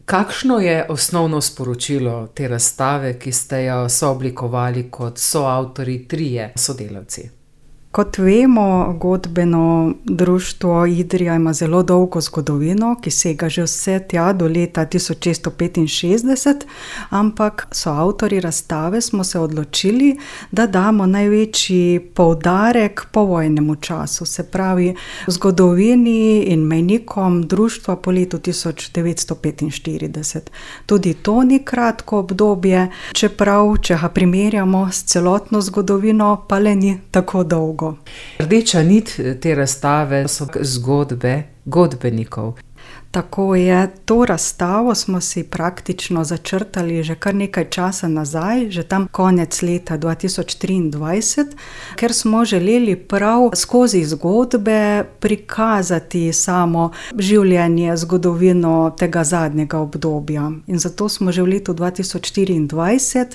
Kakšno je osnovno sporočilo te razstave, ki ste jo sooblikovali kot soavtorji trije sodelavci? Kot vemo, godbeno društvo Idrija ima zelo dolgo zgodovino, ki sega že vse tja do leta 1665, ampak soavtorji razstave smo se odločili, da damo največji poudarek povojnemu času, se pravi zgodovini in mejnikom društva po letu 1945. Tudi to ni kratko obdobje, čeprav, če ga primerjamo s celotno zgodovino, pa le ni tako dolgo. Rdeča nit te razstave so zgodbe godbenikov. Tako je, to razstavo smo si praktično začrtali že kar nekaj časa nazaj, že tam konec leta 2023, ker smo želeli prav skozi zgodbe prikazati samo življenje, zgodovino tega zadnjega obdobja. In zato smo že v letu 2024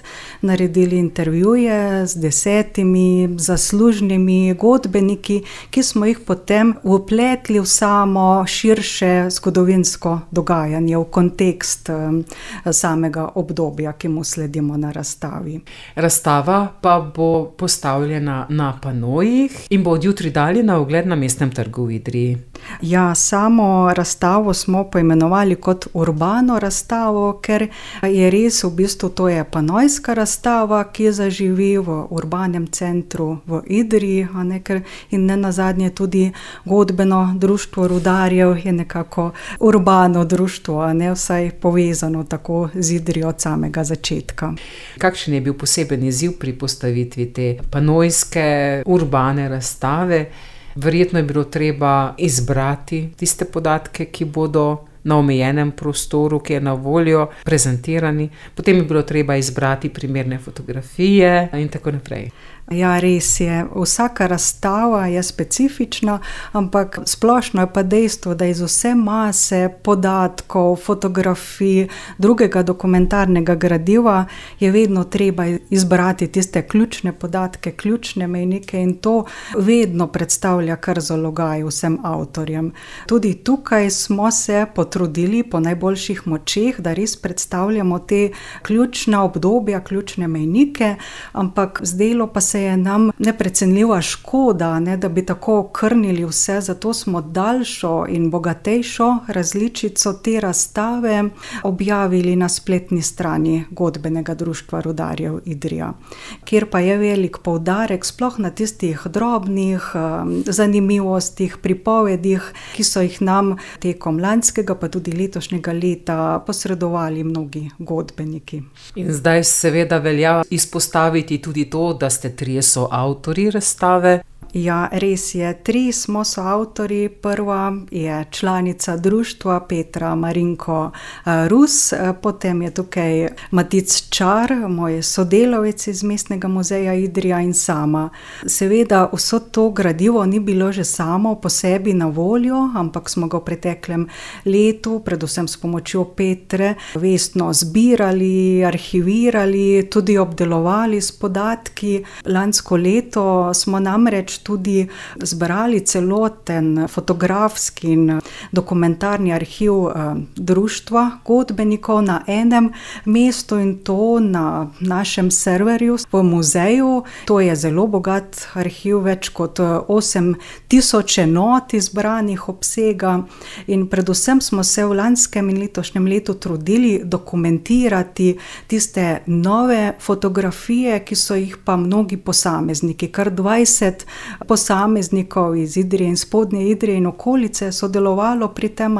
naredili intervjuje z 10 zaslužnimi godbeniki, ki smo jih potem vpletli v samo širše zgodovinsko dogajanje, v kontekst samega obdobja, ki mu sledimo na razstavi. Razstava pa bo postavljena na panojih in bo od jutri dalje na ogled na Mestnem trgu v Idriji. Ja, samo razstavo smo poimenovali kot urbano razstavo, ker je res v bistvu to je panojska razstava, ki zaživi v urbanem centru v Idriji, in nenazadnje tudi godbeno društvo rudarjev je nekako urbano društvo, vsaj povezano tako z Idrijo od samega začetka. Kakšen je bil poseben izziv pri postavitvi te panojske urbane razstave? Verjetno je bilo treba izbrati tiste podatke, ki bodo na omejenem prostoru, ki je na voljo, prezentirani. Potem je bilo treba izbrati primerne fotografije in tako naprej. Ja, res je. Vsaka razstava je specifična, ampak splošno je pa dejstvo, da iz vse mase podatkov, fotografij, drugega dokumentarnega gradiva je vedno treba izbrati tiste ključne podatke, ključne mejnike in to vedno predstavlja kar zalogaj vsem avtorjem. Tudi tukaj smo se potrudili po najboljših močeh, da res predstavljamo te ključna obdobja, ključne mejnike, ampak zdelo pa se je nam neprecenljiva škoda, da bi tako okrnili vse, zato smo daljšo in bogatejšo različico te razstave objavili na spletni strani godbenega društva rudarjev Idrija, kjer pa je velik poudarek sploh na tistih drobnih zanimivostih, pripovedih, ki so jih nam tekom lanskega pa tudi letošnjega leta posredovali mnogi godbeniki. In zdaj seveda velja izpostaviti tudi to, da ste trije soavtorji razstave. Ja, res je. 3 smo soavtorji. Prva je članica društva Petra Marinko Rus, potem je tukaj Matic Čar, moj sodelavec iz Mestnega muzeja Idrija in sama. Seveda vso to gradivo ni bilo že samo po sebi na voljo, ampak smo ga v preteklem letu, predvsem s pomočjo Petre, vestno zbirali, arhivirali, tudi obdelovali s podatki. Lansko leto smo namreč tudi zbrali celoten fotografski in dokumentarni arhiv društva godbenikov na enem mestu in to na našem serverju v muzeju. To je zelo bogat arhiv, več kot 8000 enot izbranih obsega in predvsem smo se v lanskem in letošnjem letu trudili dokumentirati tiste nove fotografije, ki so jih pa mnogi posamezniki, kar 20 posameznikov iz Idrije in Spodnje Idrije in okolice sodelovalo pri tem,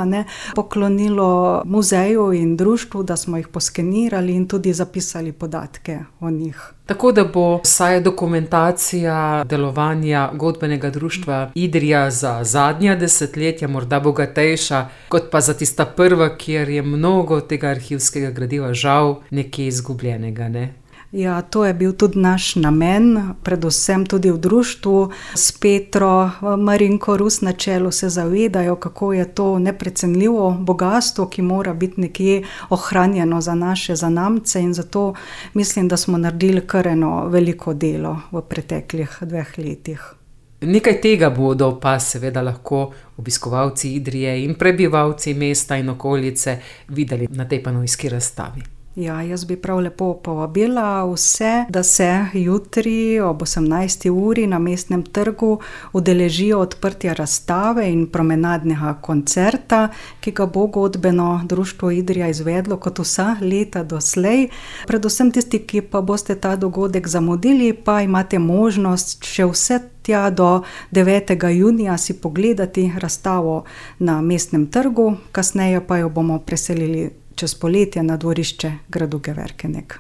poklonilo muzeju in društvu, da smo jih poskenirali in tudi zapisali podatke o njih. Tako da bo vsaj dokumentacija delovanja godbenega društva Idrija za zadnja desetletja morda bogatejša, kot pa za tista prva, kjer je mnogo tega arhivskega gradiva žal nekje izgubljenega, ne? Ja, to je bil tudi naš namen, predvsem tudi v društvu s Petro Marinko Rus na čelu se zavedajo, kako je to neprecenljivo bogastvo, ki mora biti nekje ohranjeno za naše zanamce in zato mislim, da smo naredili kar eno veliko delo v preteklih 2 letih. Nekaj tega bodo pa seveda lahko obiskovalci Idrije in prebivalci mesta in okolice videli na tej panojski razstavi. Ja, jaz bi prav lepo povabila vse, da se jutri ob 18. uri na Mestnem trgu udeležijo odprtja razstave in promenadnega koncerta, ki ga bo godbeno društvo Idrija izvedlo kot vsa leta doslej. Predvsem tisti, ki pa boste ta dogodek zamudili, pa imate možnost še vse tja do 9. junija si pogledati razstavo na Mestnem trgu, kasneje pa jo bomo preselili čez poletje na dvorišče gradu Geverkenik.